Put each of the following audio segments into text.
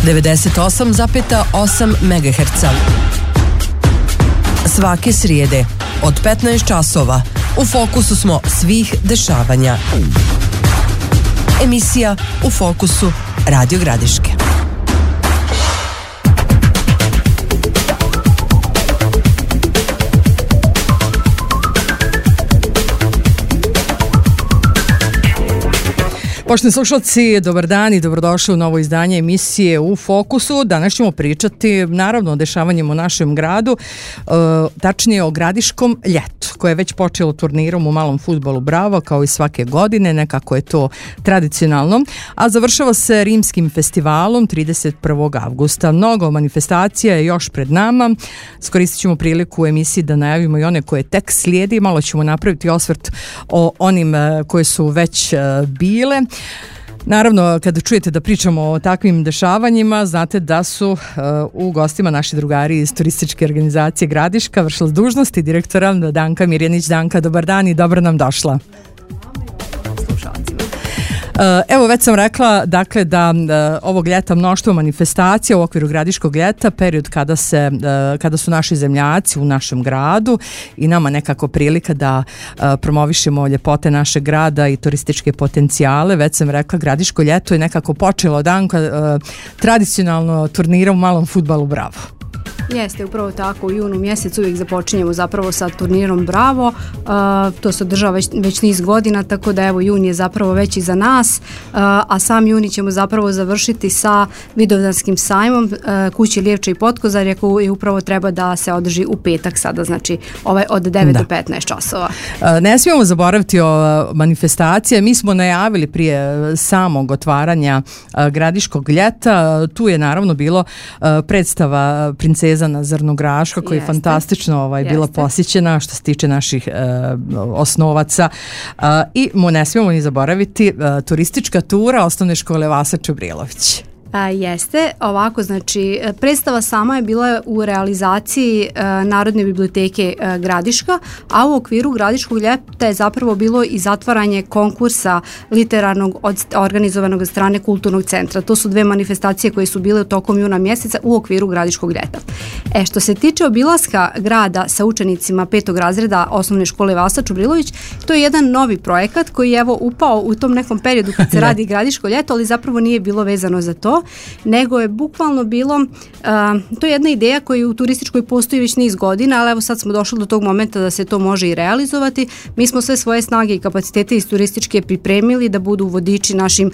98,8 MHz. Svake srijede od 15 časova u fokusu smo svih dešavanja. Emisija U fokusu Radio Gradiške. Poštovani slušalci, dobar dan i dobrodošli u novo izdanje emisije U fokusu. Danas ćemo pričati naravno o dešavanjima u našem gradu, tačnije o Gradiškom ljetu, koje je već počelo turnirom u malom fudbalu Bravo, kao i svake godine, nekako je to tradicionalno, a završava se Rimskim festivalom 31. avgusta. Mnogo manifestacija je još pred nama. Skoristit ćemo priliku u emisiji da najavimo i one koje tek slijedi. Malo ćemo napraviti osvrt o onim koje su već bile. Naravno, kada čujete da pričamo o takvim dešavanjima, znate da su u gostima naši drugari iz turističke organizacije Gradiška, vršilac dužnosti direktora Danka Mirjanić. Danka, dobar dan i dobro nam došla. Evo, već sam rekla dakle da ovog ljeta mnoštvo manifestacija u okviru Gradiškog ljeta, period kada su naši zemljaci u našem gradu i nama nekako prilika da promovišemo ljepote našeg grada i turističke potencijale. Već sam rekla, Gradiško ljeto je nekako počelo tradicionalno turnirom u malom fudbalu Bravo. Jeste, upravo tako, u junu mjesecu uvijek započinjemo zapravo sa turnirom Bravo, to se održava već niz godina, tako da evo jun je zapravo već iza nas, a sam juni ćemo zapravo završiti sa Vidovdanskim sajmom Kući Lijevče i Potkozarja, koji upravo treba da se održi u petak sada, znači od 9 do 15 časova. Ne smijemo zaboraviti o manifestacije, mi smo najavili prije samog otvaranja Gradiškog ljeta, tu je naravno bilo predstava Princeza na Zrnograška, koja je fantastično bila posjećena što se tiče naših osnovaca, i ne smijemo ni zaboraviti turistička tura osnovne škole Vasa Čubrilović. Jeste, ovako, znači predstava sama je bila u realizaciji Narodne biblioteke Gradiška, a u okviru Gradiškog ljeta je zapravo bilo i zatvaranje konkursa literarnog organizovanog od strane Kulturnog centra. To su dve manifestacije koje su bile tokom juna mjeseca u okviru Gradiškog ljeta. Što se tiče obilaska grada sa učenicima 5. razreda osnovne škole Vasa Čubrilović, to je jedan novi projekat koji je upao u tom nekom periodu kad se radi Gradiško ljeto, ali zapravo nije bilo vezano za to, nego je bukvalno bilo, to je jedna ideja koja u turističkoj postoji već niz godina, ali evo sad smo došli do tog momenta da se to može i realizovati. Mi smo sve svoje snage i kapacitete iz turističke pripremili da budu vodiči našim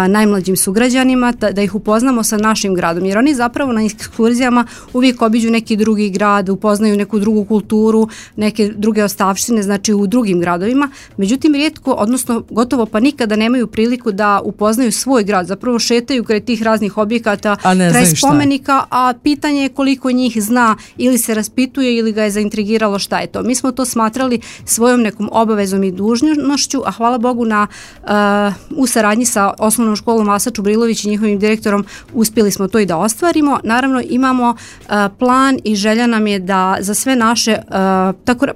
najmlađim sugrađanima, da ih upoznamo sa našim gradom, jer oni zapravo na ekskurzijama uvijek obiđu neki drugi grad, upoznaju neku drugu kulturu, neke druge ostavštine, znači u drugim gradovima, međutim rijetko, odnosno gotovo pa nikada nemaju priliku da upoznaju svoj grad, zapravo šetaju kraj tih raznih objekata, kraj spomenika, a pitanje je koliko njih zna ili se raspituje ili ga je zaintrigiralo šta je to. Mi smo to smatrali svojom nekom obavezom i dužnošću, a hvala Bogu u saradnji sa osnovnom školom Vasa Čubrilović i njihovim direktorom uspjeli smo to i da ostvarimo. Naravno imamo plan i želja nam je da za sve naše,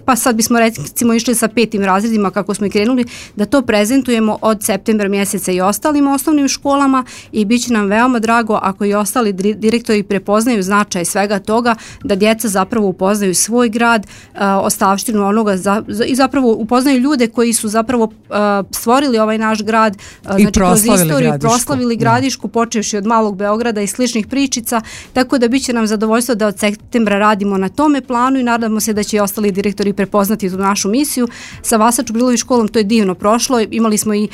pa sad bismo recimo išli sa 5. razredima kako smo i krenuli, da to prezentujemo od septembra mjeseca i ostalim osnovnim školama, i bit će nam veoma drago ako i ostali direktori prepoznaju značaj svega toga, da djeca zapravo upoznaju svoj grad, ostavštinu onoga i zapravo upoznaju ljude koji su zapravo stvorili ovaj naš grad, znači kroz istoriju proslavili Gradišku, počevši od Malog Beograda i sličnih pričica, tako da bit će nam zadovoljstvo da od septembra radimo na tome planu i nadamo se da će i ostali direktori prepoznati tu našu misiju. Sa Vasa Čubrilović školom to je divno prošlo, imali smo i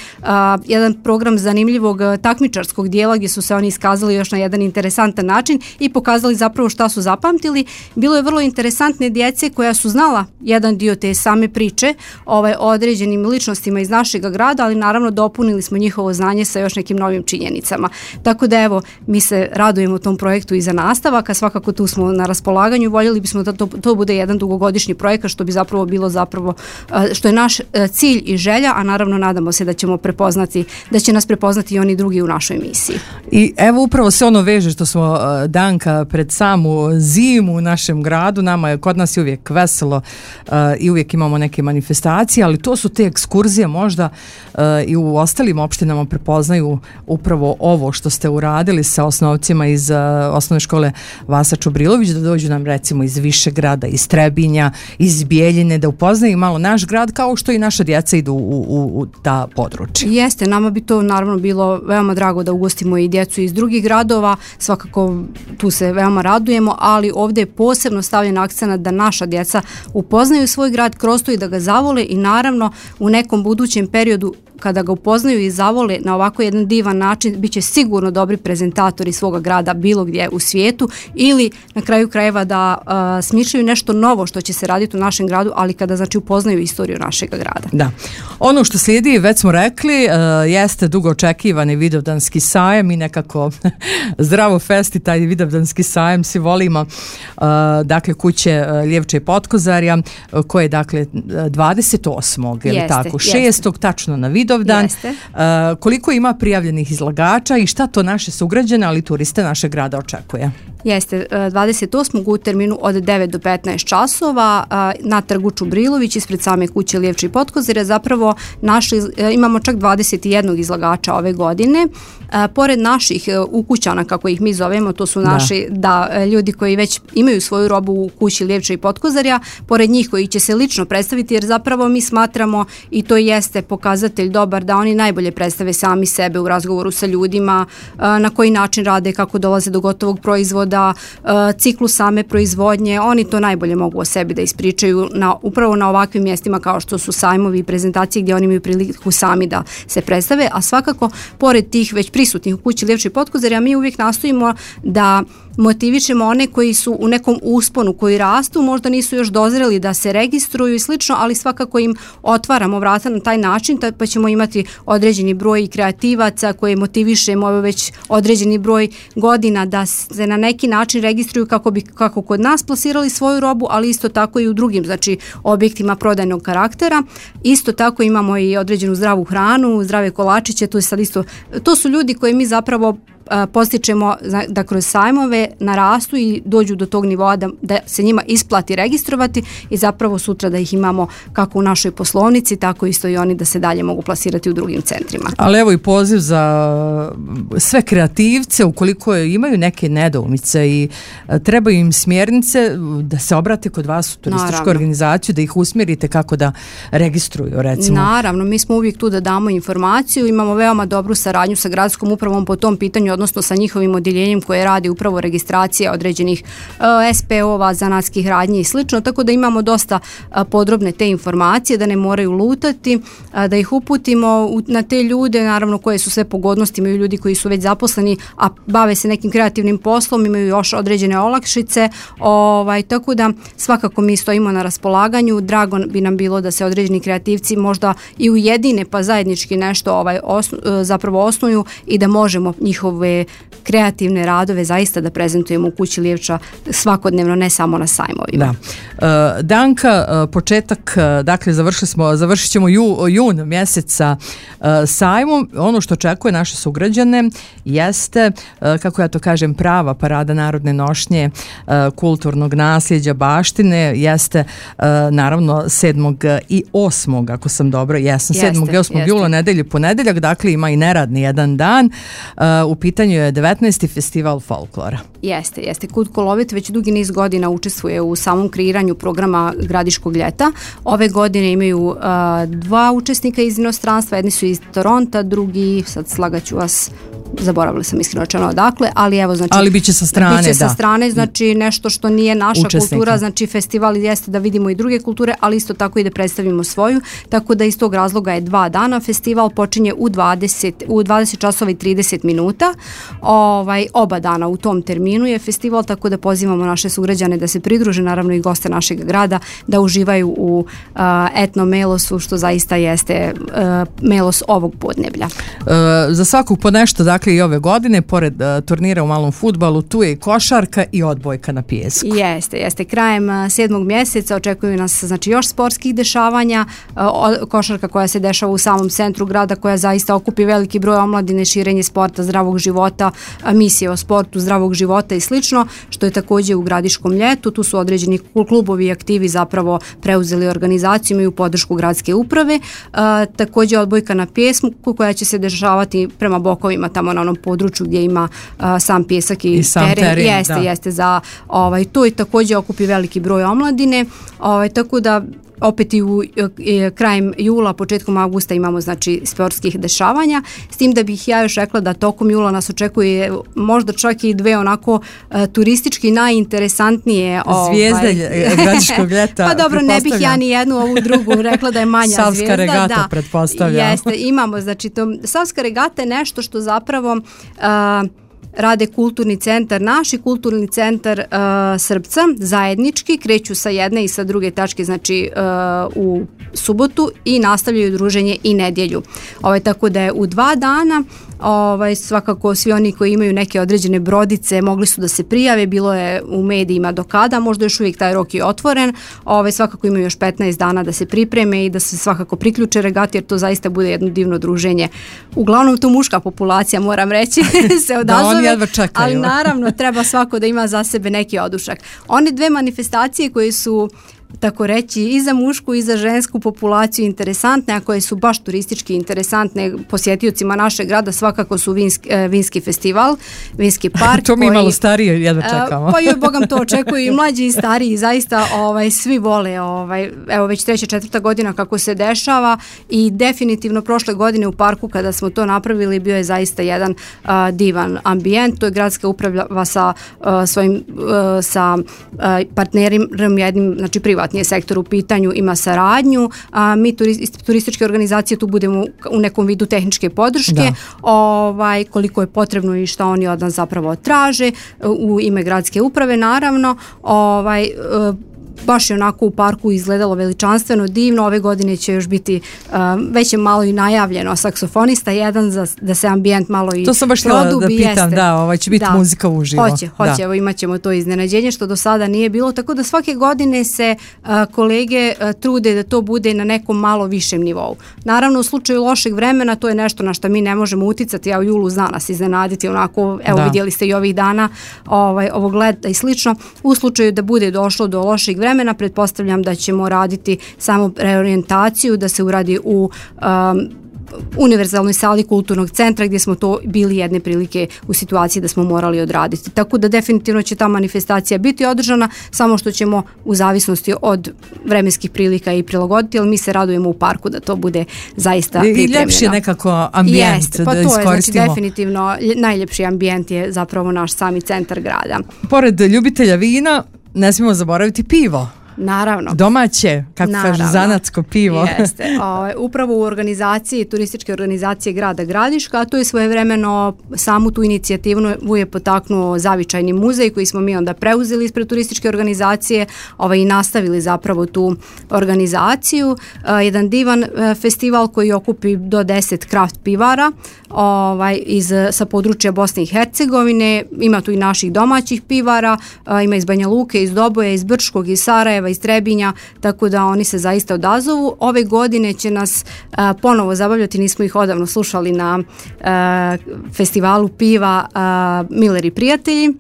jedan program zanimljivog takmičarskog dijela gdje su se oni iskazali još na jedan interesantan način i pokazali zapravo šta su zapamtili. Bilo je vrlo interesantne djece koja su znala jedan dio te same priče o određenim ličnostima iz našeg grada, ali naravno dopunili smo njihovo znanje sa još nekim novim činjenicama. Tako da evo, mi se radujemo tom projektu i za nastavak, a svakako tu smo na raspolaganju. Voljeli bismo da to bude jedan dugogodišnji projekat, što bi zapravo bilo što je naš cilj i želja, a naravno nadamo se da će nas prepoznati i oni drugi u našoj misiji. I I evo upravo se ono veže što smo Danka pred samu zimu u našem gradu, kod nas je uvijek veselo i uvijek imamo neke manifestacije, ali to su te ekskurzije možda i u ostalim opštinama prepoznaju upravo ovo što ste uradili sa osnovcima iz osnovne škole Vasa Čubrilović, da dođu nam recimo iz Višegrada, iz Trebinja, iz Bijeljine, da upoznaju malo naš grad kao što i naša djeca idu u ta područja. Jeste, nama bi to naravno bilo veoma drago da ugostimo i djecu iz drugih gradova, svakako tu se veoma radujemo, ali ovdje je posebno stavljen akcenat da naša djeca upoznaju svoj grad kroz to i da ga zavole i naravno u nekom budućem periodu kada ga upoznaju i zavole na ovako jedan divan način, bit će sigurno dobri prezentatori svoga grada bilo gdje u svijetu ili na kraju krajeva da smišljaju nešto novo što će se raditi u našem gradu, ali kada znači upoznaju istoriju našeg grada. Da. Ono što slijedi, već smo rekli, jeste dugo očekivani Vidovdanski sajam i nekako zdravo festi taj Vidovdanski sajam, svi volimo, dakle kuće Ljevče i Potkozarja, koje je dakle 28. ili tako, 6. tačno na Vidovdan. Koliko ima prijavljenih izlagača i šta to naše sugrađane, ali turiste našeg grada očekuje? Jeste, 28. u terminu od 9 do 15 časova na trgu Čubrilović ispred same kuće Ljevče i Potkozarja zapravo imamo čak 21 izlagača ove godine. Pored naših ukućana, kako ih mi zovemo, to su naši ljudi koji već imaju svoju robu u kući Ljevče i Potkozarja, pored njih koji će se lično predstaviti, jer zapravo mi smatramo i to jeste pokazatelj dobar da oni najbolje predstave sami sebe u razgovoru sa ljudima, na koji način rade, kako dolaze do gotovog proizvoda, ciklu same proizvodnje, oni to najbolje mogu o sebi da ispričaju upravo na ovakvim mjestima kao što su sajmovi i prezentacije gdje oni imaju priliku sami da se predstave, a svakako pored tih već prisutnih u kući Ljevče i Potkozarja mi uvijek nastojimo da motivišemo one koji su u nekom usponu, koji rastu, možda nisu još dozreli da se registruju i slično, ali svakako im otvaramo vrata na taj način, pa ćemo imati određeni broj kreativaca koje motivišemo već određeni broj godina da se na neki način registruju kako kod nas plasirali svoju robu, ali isto tako i u drugim, znači objektima prodajnog karaktera. Isto tako imamo i određenu zdravu hranu, zdrave kolačiće, to su ljudi koji mi zapravo postičemo da kroz sajmove narastu i dođu do tog nivoa da se njima isplati registrovati i zapravo sutra da ih imamo kako u našoj poslovnici, tako isto i oni da se dalje mogu plasirati u drugim centrima. Ali evo i poziv za sve kreativce, ukoliko imaju neke nedoumice i trebaju im smjernice, da se obrate kod vas u turističku organizaciju, da ih usmjerite kako da registruju, recimo. Naravno, mi smo uvijek tu da damo informaciju, imamo veoma dobru saradnju sa gradskom upravom po tom pitanju, odnosno sa njihovim odjeljenjem koje radi upravo registracija određenih SPO-ova, zanatskih radnji i slično, tako da imamo dosta podrobne te informacije, da ne moraju lutati, da ih uputimo na te ljude, naravno koje su sve pogodnosti, imaju ljudi koji su već zaposleni, a bave se nekim kreativnim poslom, imaju još određene olakšice, tako da svakako mi stojimo na raspolaganju, drago bi nam bilo da se određeni kreativci možda i ujedine pa zajednički nešto zapravo osnuju i da možemo njihove kreativne radove zaista da prezentujemo u kući Ljevča svakodnevno, ne samo na sajmovima. Da. Danka, početak, dakle završit ćemo jun mjeseca sajmom. Ono što očekuje naše sugrađane jeste, kako ja to kažem, prava parada narodne nošnje, kulturnog nasljeđa, baštine, jeste naravno 7. i 8. ako sam dobro, jesam, 7. i 8. jula, nedelju i ponedeljak, dakle ima i neradni jedan dan. U pitanju je 19. festival folklora. Jeste. Kud Kolovit već dugi niz godina učestvuje u samom kreiranju programa Gradiškog ljeta. Ove godine imaju dva učesnika iz inostranstva, jedni su iz Toronta, drugi, sad slagaću vas, zaboravila sam iskreno rečeno odakle, ali evo znači... Ali biće sa strane, biće sa strane, znači nešto što nije naša kultura, znači festival jeste da vidimo i druge kulture, ali isto tako i da predstavimo svoju, tako da iz tog razloga je 2 dana. Festival počinje u 20 časova i 30 minuta. Oba dana u tom terminu je festival, tako da pozivamo naše sugrađane da se pridruže, naravno i goste našeg grada, da uživaju u etno melosu, što zaista jeste melos ovog podneblja. Za svakog po nešto, dakle, dakle i ove godine, pored turnira u malom fudbalu, tu je i košarka i odbojka na pijesku. Jeste. Krajem 7. mjeseca očekuju nas znači još sportskih dešavanja, košarka koja se dešava u samom centru grada, koja zaista okupi veliki broj omladine, širenje sporta, zdravog života, misije o sportu, zdravog života i slično, što je također u Gradiškom ljetu. Tu su određeni klubovi i aktivi zapravo preuzeli organizaciju i u podršku gradske uprave. Također odbojka na pjesku koja će se dešavati prema bokovima, tamo na onom području gdje ima sam pjesak i teren. Jeste za to i također okupi veliki broj omladine, tako da opet i krajem jula, početkom augusta imamo znači sportskih dešavanja, s tim da bih ja još rekla da tokom jula nas očekuje možda čak i dve onako turistički najinteresantnije zvijezde Gradiškog ljeta. Pa dobro, ne bih ja ni jednu ovu drugu rekla da je manja zvijezda. Savska regata, pretpostavljam. Jeste, imamo, znači Savska regata je nešto što zapravo rade kulturni centar, naši kulturni centar Srpca, zajednički, kreću sa jedne i sa druge tačke, znači u subotu i nastavljaju druženje i nedjelju. Tako da je u 2 dana, svakako svi oni koji imaju neke određene brodice mogli su da se prijave, bilo je u medijima do kada, možda još uvijek taj rok je otvoren, svakako imaju još 15 dana da se pripreme i da se svakako priključe regati, jer to zaista bude jedno divno druženje. Uglavnom to muška populacija, moram reći, se odazove, ali naravno treba svako da ima za sebe neki odušak. One dve manifestacije koje su tako reći i za mušku i za žensku populaciju interesantne, a koje su baš turistički interesantne posjetiocima našeg grada, svakako su vinski festival, vinski park. To mi malo starije jedva čekamo. Pa joj bogam to očekuju i mlađi i stariji, zaista svi vole, evo već 3. 4. godina kako se dešava i definitivno prošle godine u parku kada smo to napravili bio je zaista jedan divan ambijent. To je gradska uprava sa svojim partnerom jednim, znači privatnim sektor u pitanju, ima saradnju, mi turističke organizacije tu budemo u nekom vidu tehničke podrške, koliko je potrebno i šta oni od nas zapravo traže u ime gradske uprave, naravno. Baš je onako u parku izgledalo veličanstveno, divno. Ove godine će još biti već je malo i najavljeno saksofonista jedan da se ambijent malo i produbi. To sam baš htjela da pitam, će biti muzika uživo. Hoće, evo imat ćemo to iznenađenje što do sada nije bilo, tako da svake godine se kolege trude da to bude na nekom malo višem nivou. Naravno u slučaju lošeg vremena to je nešto na što mi ne možemo uticati, u julu zna nas iznenaditi onako, vidjeli ste i ovih dana ovog leta i slično. U slučaju da bude došlo do lošeg vremena, pretpostavljam da ćemo raditi samo reorijentaciju, da se uradi u univerzalnoj sali kulturnog centra gdje smo to bili jedne prilike u situaciji da smo morali odraditi. Tako da definitivno će ta manifestacija biti održana, samo što ćemo u zavisnosti od vremenskih prilika i prilagoditi, ali mi se radujemo u parku da to bude zaista pripremljeno. I ljepši je nekako ambijent da iskoristimo. To je znači definitivno najljepši ambijent je zapravo naš sami centar grada. Pored ljubitelja vina, ne smijemo zaboraviti pivo. Naravno. Domaće, kako kažu, zanatsko pivo. Jeste. Upravo u organizaciji, turističke organizacije grada Gradiška, a to je svojevremeno samu tu inicijativu je potaknuo Zavičajni muzej koji smo mi onda preuzeli ispred turističke organizacije i nastavili zapravo tu organizaciju. Jedan divan festival koji okupi do 10 kraft pivara sa područja Bosne i Hercegovine. Ima tu i naših domaćih pivara, ima iz Banja Luke, iz Doboja, iz Brčkog, iz Sarajeva, iz Trebinja, tako da oni se zaista odazovu. Ove godine će nas ponovo zabavljati, nismo ih odavno slušali na festivalu piva Miller i prijatelji.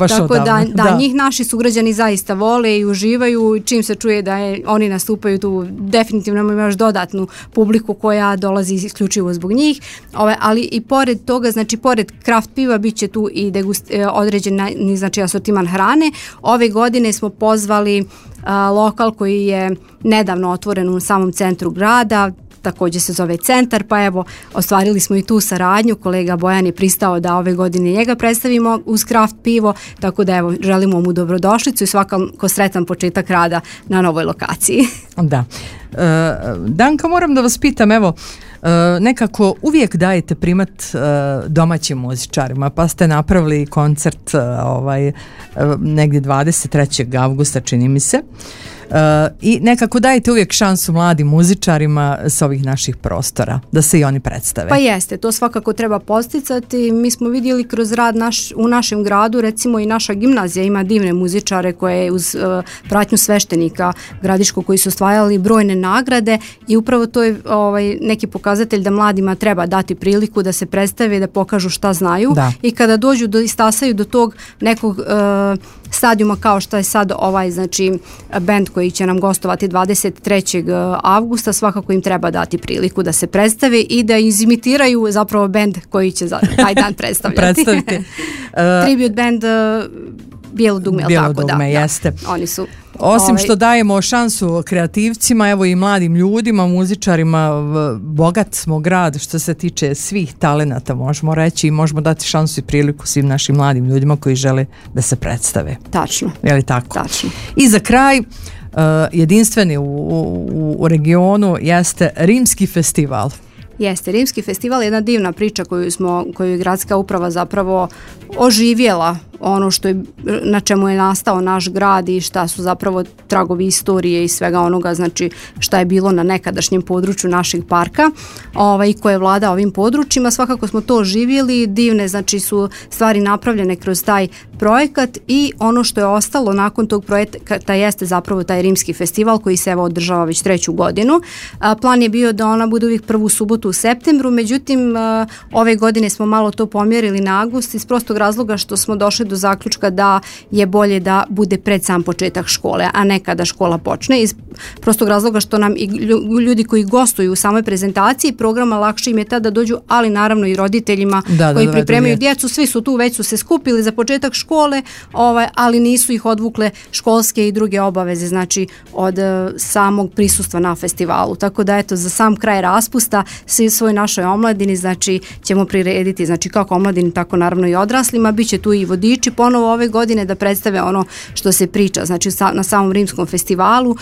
Tako da njih naši sugrađani zaista vole i uživaju, čim se čuje da oni nastupaju tu, definitivno imamo još dodatnu publiku koja dolazi isključivo zbog njih, ali i pored toga, znači pored kraft piva bit će tu i određeni znači asortiman hrane. Ove godine smo pozvali lokal koji je nedavno otvoren u samom centru grada, također se zove Centar, pa evo, ostvarili smo i tu saradnju, kolega Bojan je pristao da ove godine njega predstavimo uz kraft pivo, tako da evo, želimo mu dobrodošlicu i svakako sretan početak rada na novoj lokaciji. Da. Danka, moram da vas pitam, evo, nekako uvijek dajete primat domaćim muzičarima, pa ste napravili koncert negdje 23. avgusta, čini mi se. I nekako dajte uvijek šansu mladim muzičarima sa ovih naših prostora, da se i oni predstave. Pa jeste, to svakako treba posticati. Mi smo vidjeli kroz rad u našem gradu, recimo i naša gimnazija ima divne muzičare koje uz pratnju sveštenika Gradiškog koji su osvajali brojne nagrade i upravo to je neki pokazatelj da mladima treba dati priliku da se predstave, da pokažu šta znaju i kada dođu i stasaju do tog nekog stadijuma kao što je sad znači bend koji će nam gostovati 23. avgusta, svakako im treba dati priliku da se predstave i da izimitiraju zapravo bend koji će taj dan predstavljati. Tribute band Bijelo dugme, jeste. Oni su osim što dajemo šansu kreativcima, evo i mladim ljudima, muzičarima, bogat smo grad što se tiče svih talenata, možemo reći, i možemo dati šansu i priliku svim našim mladim ljudima koji žele da se predstave. Tačno. Je li tako? Tačno. I za kraj, jedinstveni u regionu jeste Rimski festival. Jeste, Rimski festival je jedna divna priča koju je gradska uprava zapravo oživjela, ono na čemu je nastao naš grad i šta su zapravo tragovi istorije i svega onoga, znači šta je bilo na nekadašnjem području našeg parka i koje vlada ovim područjima. Svakako smo to oživjeli, divne znači su stvari napravljene kroz taj projekat i ono što je ostalo nakon tog projekta jeste zapravo taj Rimski festival koji se evo održava već 3. godinu. Plan je bio da ona bude uvijek prvu subotu u septembru, međutim ove godine smo malo to pomjerili na avgust iz prostog razloga što smo došli do zaključka da je bolje da bude pred sam početak škole, a ne kada škola počne, iz prostog razloga što nam i ljudi koji gostuju u samoj prezentaciji programa lakše im je tada dođu, ali naravno i roditeljima koji pripremaju djecu, svi su tu, već su se skupili za početak škole, ali nisu ih odvukle školske i druge obaveze, znači od samog prisustva na festivalu. Tako da eto, za sam kraj raspusta svi svoj našoj omladini, znači ćemo prirediti, znači kako omladini, tako naravno i odraslima, bit će tu i vodiči ponovo ove godine da predstave ono što se priča, znači na samom Rimskom festivalu.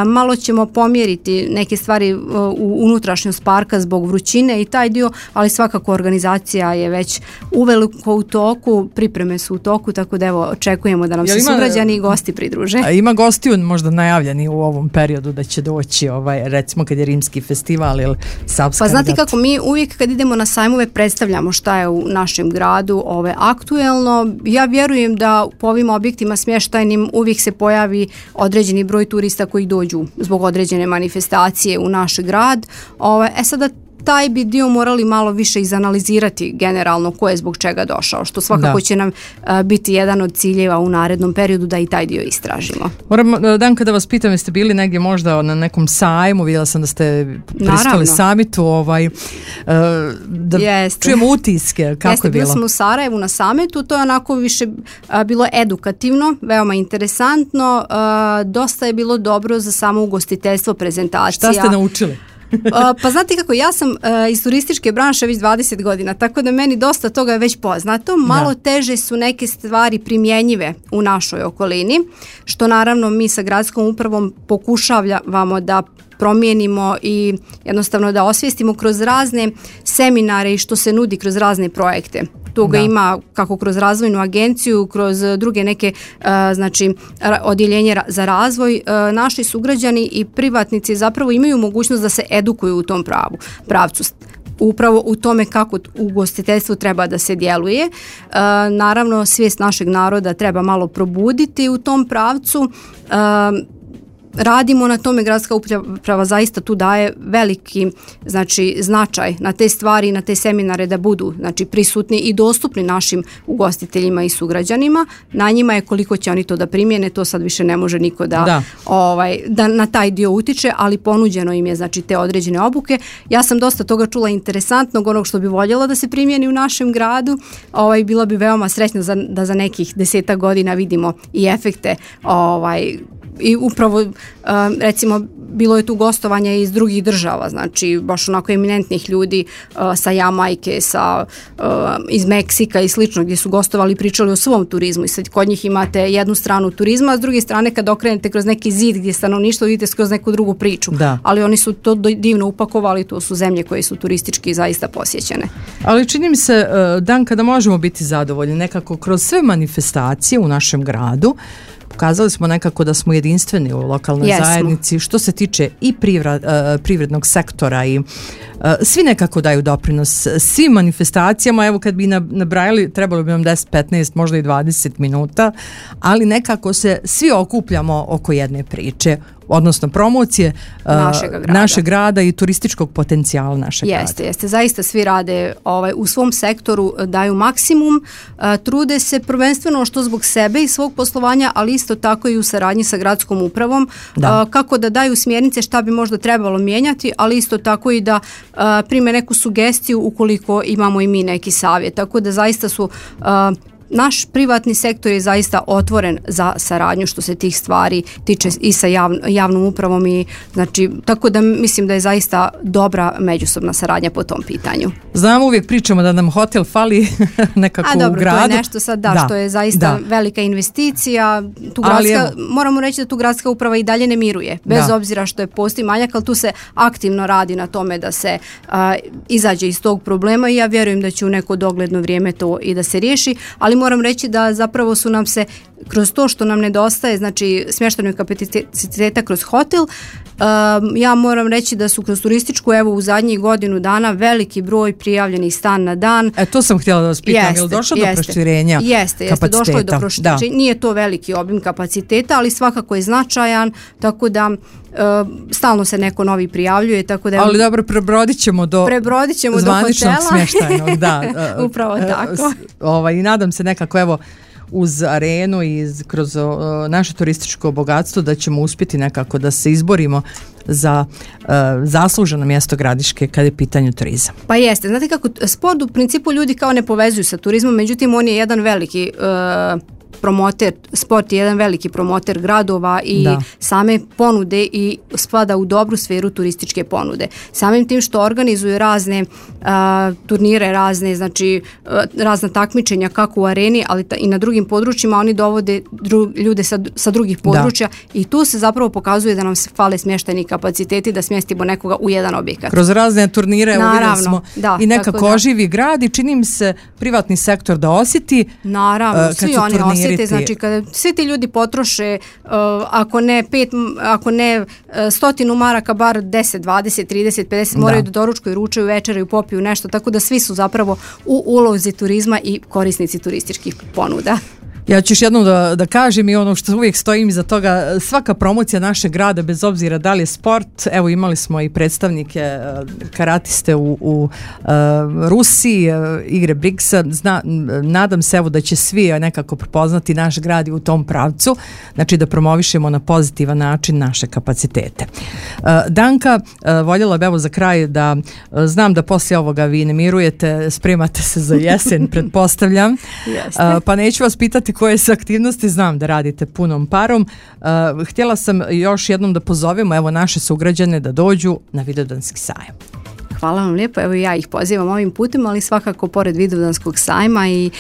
Malo ćemo pomjeriti neke stvari u unutrašnjost parka zbog vrućine i taj dio, ali svakako organizacija je već uveliko u toku, pripreme su u toku, tako da evo očekujemo da nam se sugrađani i gosti pridruže. Ima gostiju možda najavljeni u ovom periodu da će doći, recimo kad je Rimski festival ili Savska. Pa znate kako, mi uvijek kad idemo na sajmove predstavljamo šta je u našem gradu aktuelno. Ja vjerujem da po ovim objektima smještajnim uvijek se pojavi određeni broj turista koji dođu zbog određene manifestacije u naš grad. Sada taj bi dio morali malo više izanalizirati generalno ko je zbog čega došao, što svakako će nam biti jedan od ciljeva u narednom periodu da i taj dio istražimo. Moram, Dan, kada vas pitam, jeste bili negdje možda na nekom sajmu, vidjela sam da ste pristali samitu, da čujemo utiske, kako je bilo? Bili smo u Sarajevu na samitu, to je onako više bilo edukativno, veoma interesantno, dosta je bilo dobro za samo ugostiteljstvo, prezentacija. Šta ste naučili? Pa znate kako, ja sam iz turističke branše već 20 godina, tako da meni dosta toga je već poznato. Malo teže su neke stvari primjenjive u našoj okolini, što naravno mi sa gradskom upravom pokušavamo da promijenimo i jednostavno da osvijestimo kroz razne seminare i što se nudi kroz razne projekte. Toga ima kako kroz razvojnu agenciju, kroz druge neke znači odjeljenje za razvoj. Naši sugrađani i privatnici zapravo imaju mogućnost da se edukuju u tom pravcu. Upravo u tome kako ugostiteljstvo treba da se djeluje. Naravno, svijest našeg naroda treba malo probuditi u tom pravcu. Radimo na tome, gradska uprava zaista tu daje veliki značaj na te stvari, na te seminare da budu prisutni i dostupni našim ugostiteljima i sugrađanima. Na njima je koliko će oni to da primjene, to sad više ne može niko da na taj dio utiče, ali ponuđeno im je te određene obuke. Ja sam dosta toga čula interesantnog, onog što bi voljela da se primjeni u našem gradu. Bila bi veoma srećna da za nekih 10 godina vidimo i efekte i upravo recimo bilo je tu gostovanja iz drugih država, znači baš onako eminentnih ljudi sa Jamajke, iz Meksika i slično, gdje su gostovali i pričali o svom turizmu i sad kod njih imate jednu stranu turizma, a s druge strane kad okrenete kroz neki zid gdje stanovništvo vidite kroz neku drugu priču, ali oni su to divno upakovali, to su zemlje koje su turistički zaista posjećene. Ali čini mi se, Dan, kada možemo biti zadovoljni nekako kroz sve manifestacije u našem gradu, pokazali smo nekako da smo jedinstveni u lokalnoj zajednici što se tiče i privrednog sektora i svi nekako daju doprinos svim manifestacijama. Evo kad bi nabrajali, trebalo bi nam 10, 15, možda i 20 minuta, ali nekako se svi okupljamo oko jedne priče, odnosno promocije našeg grada i turističkog potencijala našeg grada. Jeste, zaista svi rade u svom sektoru, daju maksimum, trude se prvenstveno što zbog sebe i svog poslovanja, ali isto tako i u saradnji sa gradskom upravom, kako da daju smjernice šta bi možda trebalo mijenjati, ali isto tako i da prime neku sugestiju ukoliko imamo i mi neki savjet. Tako da zaista su naš privatni sektor je zaista otvoren za saradnju što se tih stvari tiče i sa javnom upravom i znači tako da mislim da je zaista dobra međusobna saradnja po tom pitanju. Znamo, uvijek pričamo da nam hotel fali nekako u gradu. To je nešto sad što je zaista velika investicija. Moramo reći da tu gradska uprava i dalje ne miruje, bez obzira što je postoji manjak, ali tu se aktivno radi na tome da se izađe iz tog problema i ja vjerujem da će u neko dogledno vrijeme to i da se riješi, ali moram reći da zapravo su nam se kroz to što nam nedostaje, znači smještajnog kapaciteta kroz hotel, ja moram reći da su kroz turističku u zadnjih godinu dana veliki broj prijavljenih stan na dan. To sam htjela da vas pitam, je li došlo do proširenja kapaciteta? Došlo je do proširenja. Nije to veliki obim kapaciteta, ali svakako je značajan, tako da stalno se neko novi prijavljuje, tako da... Ali dobro, prebrodit ćemo do zvaničnog smještajnog, Upravo tako. I nadam se nekako, uz arenu i kroz naše turističko bogatstvo da ćemo uspjeti nekako da se izborimo za zasluženo mjesto Gradiške kada je pitanju turizam. Pa jeste, znate kako, sport u principu ljudi kao ne povezuju sa turizmom, međutim on je jedan veliki promoter, sport je jedan veliki promoter gradova i same ponude i spada u dobru sferu turističke ponude. Samim tim što organizuju razne turnire, razna takmičenja kako u areni, ali i na drugim područjima, oni dovode ljude sa drugih područja i tu se zapravo pokazuje da nam se fale smještajni kapaciteti da smjestimo nekoga u jedan objekat. Kroz razne turnire uvidjeli smo i nekako oživi grad i čini mi se privatni sektor da osjeti. Naravno, svi oni osjete, znači kada svi ti ljudi potroše ako ne 100 maraka, bar 10, 20, 30, 50, moraju da doručkuju, ručaju, večeraju, popiju nešto, tako da svi su zapravo u ulozi turizma i korisnici turističkih ponuda. Ja ću još jednom da kažem i ono što uvijek stojim iza toga, svaka promocija našeg grada, bez obzira da li je sport, evo imali smo i predstavnike karatiste u Rusiji, igre Brigsa, nadam se da će svi nekako prepoznati naš grad i u tom pravcu, znači da promovišemo na pozitivan način naše kapacitete. Danka, voljela bi za kraj da znam da poslije ovoga vi ne mirujete, spremate se za jesen, pretpostavljam, pa neću vas pitati koje se aktivnosti, znam da radite punom parom. Htjela sam još jednom da pozovemo naše sugrađane da dođu na Vidovdanski sajam. Hvala vam lijepo, evo ja ih pozivam ovim putem, ali svakako pored Vidovdanskog sajma i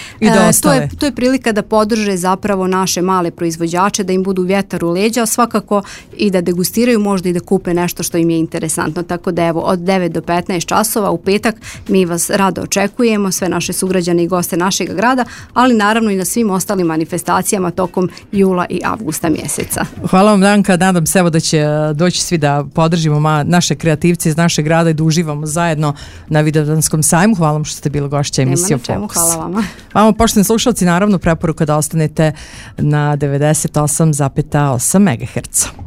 to je prilika da podrže zapravo naše male proizvođače, da im budu vjetar u leđa, svakako i da degustiraju, možda i da kupe nešto što im je interesantno, tako da od 9 do 15 časova u petak mi vas rado očekujemo, sve naše sugrađane i goste našeg grada, ali naravno i na svim ostalim manifestacijama tokom jula i avgusta mjeseca. Hvala vam Danka, nadam se da će doći svi da podržimo naše kreativce iz našeg grada i da uživamo zajedno na Vidovdanskom sajmu. Hvala vam što ste bili gošća emisije Fokus. Hvala vama. Vama, poštovani slušalci, naravno preporuka da ostanete na 98,8 MHz.